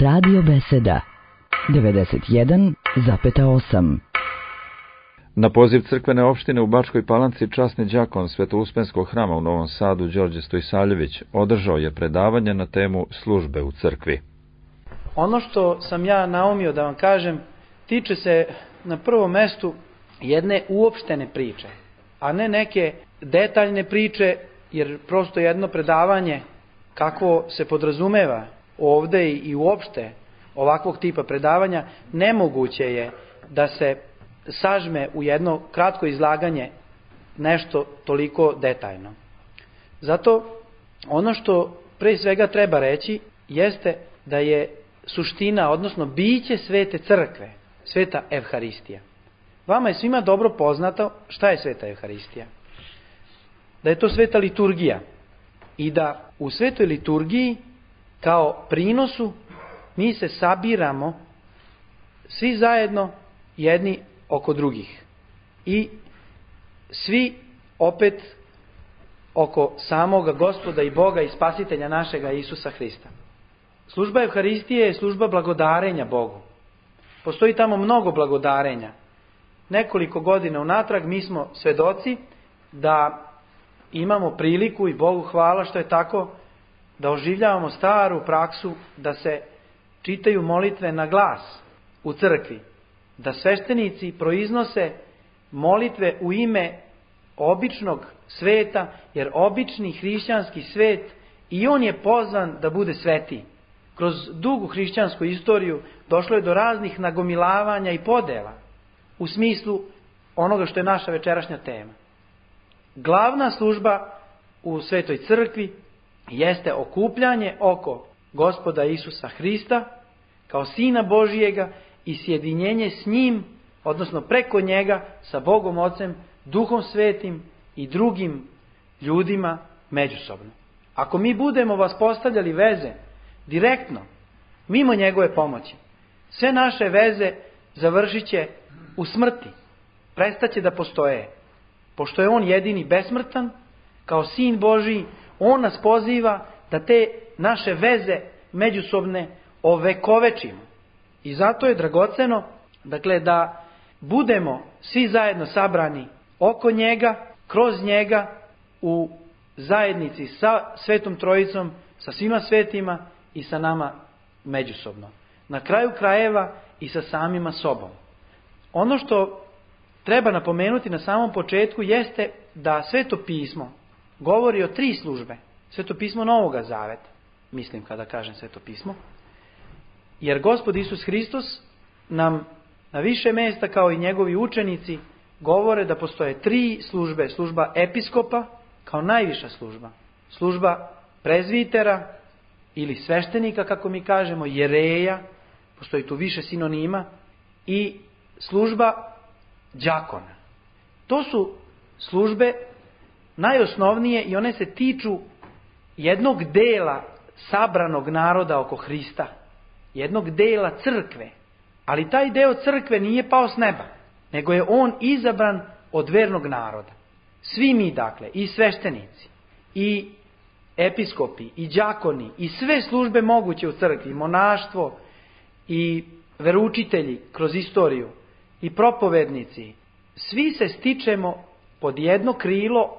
Radio Beseda 91,8. Na poziv crkvene opštine u Bačkoj Palanci časni đakon Svetouspenskog hrama u Novom Sadu Đorđe Stojsaljević održao je predavanje na temu službe u crkvi. Ono što sam ja naumio da vam kažem tiče se na prvom mestu jedne uopštene priče, a ne neke detaljne priče, jer prosto jedno predavanje kako se podrazumeva ovde i uopšte ovakvog tipa predavanja nemoguće je da se sažme u jedno kratko izlaganje nešto toliko detaljno. Zato ono što pre svega treba reći jeste da je suština, odnosno biće svete crkve, sveta Evharistija. Vama je svima dobro poznato šta je sveta Evharistija. Da je to sveta liturgija i da u svetoj liturgiji kao prinosu mi se sabiramo svi zajedno jedni oko drugih i svi opet oko samoga Gospoda i Boga i Spasitelja našega Isusa Hrista. Služba Evharistije je služba blagodarenja Bogu. Postoji tamo mnogo blagodarenja. Nekoliko godina unatrag mi smo svedoci da imamo priliku, i Bogu hvala što je tako, da oživljavamo staru praksu da se čitaju molitve na glas u crkvi, da sveštenici proiznose molitve u ime običnog sveta, jer obični hrišćanski svet i on je pozvan da bude sveti. Kroz dugu hrišćansku istoriju došlo je do raznih nagomilavanja i podela u smislu onoga što je naša večerašnja tema. Glavna služba u svetoj crkvi jeste okupljanje oko Gospoda Isusa Hrista kao Sina Božijega i sjedinjenje s njim, odnosno preko njega sa Bogom Ocem, Duhom Svetim i drugim ljudima međusobno. Ako mi budemo vaspostavljali veze direktno, mimo njegove pomoći, sve naše veze završit će u smrti, prestaće da postoje. Pošto je on jedini besmrtan, kao Sin Božiji, on nas poziva da te naše veze međusobne ovekovečimo. I zato je dragoceno, dakle, da budemo svi zajedno sabrani oko njega, kroz njega, u zajednici sa Svetom Trojicom, sa svima svetima i sa nama međusobno. Na kraju krajeva i sa samima sobom. Ono što treba napomenuti na samom početku jeste da Sveto pismo govori o 3 službe. Sveto pismo Novoga Zaveta, mislim kada kažem Sveto pismo, jer Gospod Isus Hristos nam na više mjesta kao i njegovi učenici govore da postoje 3 službe. Služba episkopa kao najviša služba, služba prezvitera ili sveštenika, kako mi kažemo, jereja, postoji tu više sinonima, i služba đakona. To su službe najosnovnije i one se tiču jednog dela sabranog naroda oko Hrista, jednog dela crkve. Ali taj deo crkve nije pao s neba, nego je on izabran od vernog naroda. Svi mi, dakle, i sveštenici, i episkopi, i đakoni, i sve službe moguće u crkvi, monaštvo, i veroučitelji kroz istoriju, i propovednici, svi se stičemo pod jedno krilo,